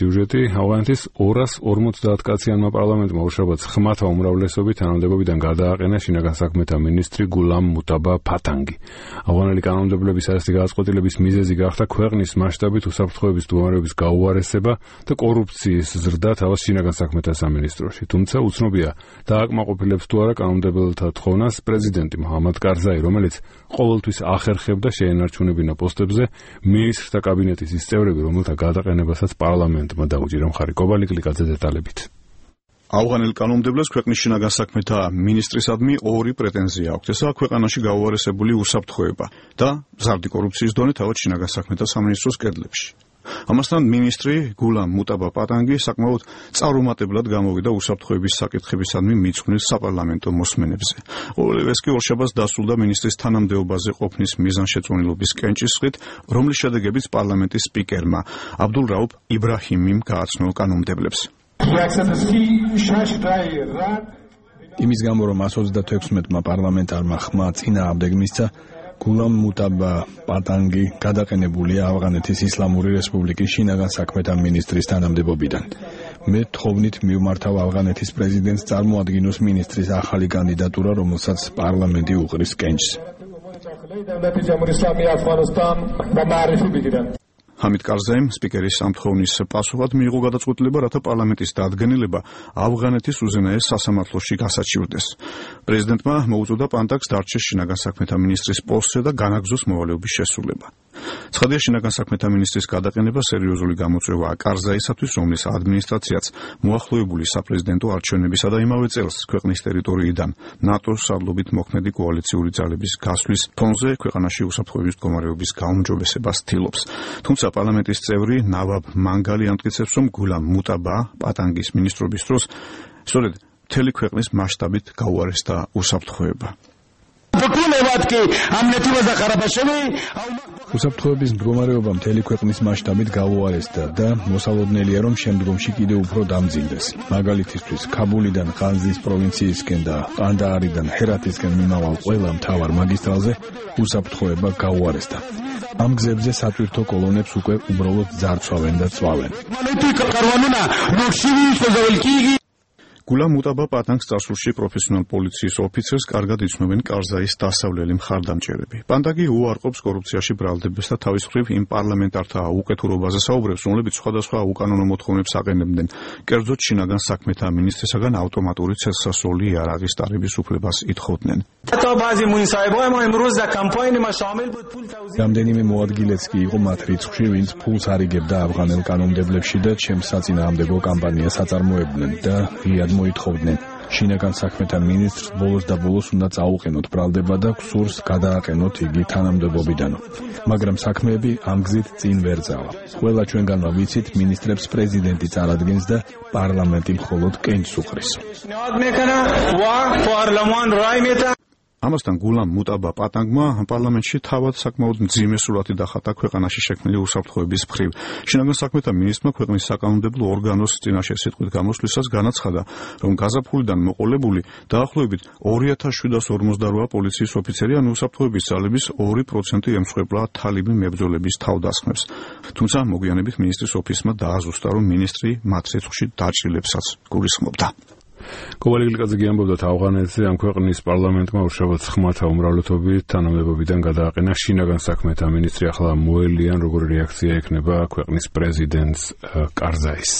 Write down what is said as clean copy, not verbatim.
სიუჟეტი. ავღანეთის 250 კაციანმა პარლამენტმა უშაბათს ხმათა უმრავლესობით თანამდებობიდან გადააყენა შინაგან საქმეთა მინისტრი გულამ მუტაბა ფათანგი. ავღანელი კანონმდებლების ასეთი გადაწყვეტილების მიზეზი გახდა ქვეყნის მასშტაბით უსაფრთხოების მდგომარეობის გაუარესება და კორუფციის ზრდა თავის შინაგან საქმეთა სამინისტროში. თუმცა უცნობია დააკმაყოფილებს თუ არა კანონმდებელთა თხოვნას პრეზიდენტი მუჰამად კარზაი, რომელიც ყოველთვის ახერხებდა შეენარჩუნებინა პოსტებზე მინისტრთა კაბინეტის ის წევრები, რომელთა გადაყენებასაც პარლამენტმა დაუჭირა მხარი. კობალი კლიკაძე დეტალებით. ავღანელ კანონმდებლებს ქვეყნის შინაგან საქმეთა მინისტრისადმი ორი პრეტენზია აქვს. ესაა ქვეყანაში გაუარესებული უსაფრთხოება და მზარდი კორუფციის დონე თავად შინაგან საქმეთა სამინისტროს კედლებში. ამასთან მინისტრი გულამ მუტაბა პატანგი საკმაოდ წარუმატებლად გამოვიდა უსაფრთხოების საკითხებისადმი მიძღვნილ საპარლამენტო მოსმენებზე. ყოველივე ეს კი ორშაბათს დასრულდა მინისტრის თანამდებობაზე ყოფნის მიზანშეწონილობის კენჭისყრით, რომლის შედეგებიც პარლამენტის სპიკერმა აბდულ რაუფ იბრაჰიმიმ გააცნო კანონმდებლებს. იმის გამო, რომ 136-მა პარლამენტარმა ხმა წინააღმდეგ მისცა, გულამ მუტაბა პატანგი გადაყენებულია ავღანეთის ისლამური რესპუბლიკის შინაგან საქმეთა მინისტრის თანამდებობიდან. მე თხოვნით მივმართავ ავღანეთის პრეზიდენტს წარმოადგინოს მინისტრის ახალი კანდიდატურა, რომელსაც პარლამენტი უყრის კენჭს. ჰამიდ კარზაიმ სპიკერის სამთხოვნის პასუხად მიიღო გადაწყვეტილება, რათა პარლამენტის დადგენილება ავღანეთის უზენაეს სასამართლოში გასაჩივრდეს. პრეზიდენტმა მოუწოდა პანტაკს დარჩეს შინაგან საქმეთა მინისტრის პოსტზე და განაგზოს მოვალეობის შესრულება. ცხადია, შინაგან საქმეთა მინისტრის გადაყენება სერიოზული გამოწვევაა კარზაისათვის, რომლის ადმინისტრაციაც მოახლოებული საპრეზიდენტო არჩევნებისა და იმავე წელს ქვეყნის ტერიტორიიდან ნატოს სარდლობით მოქმედი კოალიციური ძალების გასვლის ფონზე ქვეყანაში უსაფრთხოების მდგომარეობის გაუმჯობესებას ცდილობს. თუმცა პარლამენტის წევრი ნავაბ მანგალი ამტკიცებს, რომ გულამ მუტაბა პატანგის მინისტრობის დროს სწორედ მთელი ქვეყნის მასშტაბით გაუარესდა უსაფრთხოება. უსაფრთხოების მდგომარეობა მთელი ქვეყნის მასშტაბით გაუარესდა და მოსალოდნელია, რომ შემდგომში კიდევ უფრო დამძიმდეს. მაგალითისთვის, ქაბულიდან ყანზის პროვინციისკენ და ყანდაარიდან ჰერათისკენ მიმავალ ყველა მთავარ მაგისტრალზე უსაფრთხოება გაუარესდა. ამ გზებზე სატვირთო კოლონებს უკვე უბრალოდ ძარცვავენ და წვავენ. გულამ მუტაბა პატანგს წარსულში პროფესიონალ პოლიციის ოფიცერს კარგად იცნობენ კარზაის დასავლელი მხარდამჭერები. პანტაგი უარყოფს კორუფციაში ბრალდებას და თავის მხრივ იმ პარლამენტართა უკეთურობაზე საუბრებს, რომლებიც სხვადასხვა უკანონო მოთხოვნებს აყენებდნენ. კერძოდ შინაგან საქმეთა მინისტრისაგან ავტომატური ცელსასროლი იარაღის ტარების უფლებას ითხოვდნენ. რამდენიმე მოადგილეც კი იყო მათ რიცხვში, ვინც ფულს არიგებდა ავღანელ კანონმდებლებში და ჩემს საწინააღმდეგო კამპანიას აწარმოებდნენ და ღიად მოითხოვდნენ. შინაგან საქმეთა მინისტრს ბოლოს და ბოლოს უნდა წაუყენოთ ბრალდება და გსურს გადააყენოთ იგი თანამდებობიდან. მაგრამ საქმეები ამ გზით წინ ვერ წავა. ყველა ჩვენგანმა ვიცით, მინისტრებს პრეზიდენტი წარადგენს და პარლამენტი მხოლოდ კენჭს უყრის. ამასთან გულამ მუტაბა პატანგმა პარლამენტში თავად საკმაოდ მძიმე სურათი დახატა ქვეყანაში შექმნილი უსაფრთხოების მხრივ. შინაგან საქმეთა მინისტრმა ქვეყნის საკანონმდებლო ორგანოს წინაშე სიტყვით გამოსვლისას განაცხადა, რომ გაზაფხულიდან მოყოლებული დაახლოებით 2748 პოლიციის ოფიცერი ან უსაფრთხოების ძალების 2% ემსხვერპლა თალიბი მებრძოლების თავდასხმებს. თუმცა მოგვიანებით მინისტრის ოფისმა დააზუსტა, რომ მინისტრი მათ რიცხვში დაჭრილებსაც გულისხმობდა. კობალი კლიკაძე ამბობდა, ავღანეთზე ამ ქვეყნის პარლამენტმა უშაბათს ხმათა უმრავლესობით თანამდებობიდან გადააყენა შინაგან საქმეთა მინისტრი. ახლა მოელიან, როგორი რეაქცია ექნება ქვეყნის პრეზიდენტს კარზაის.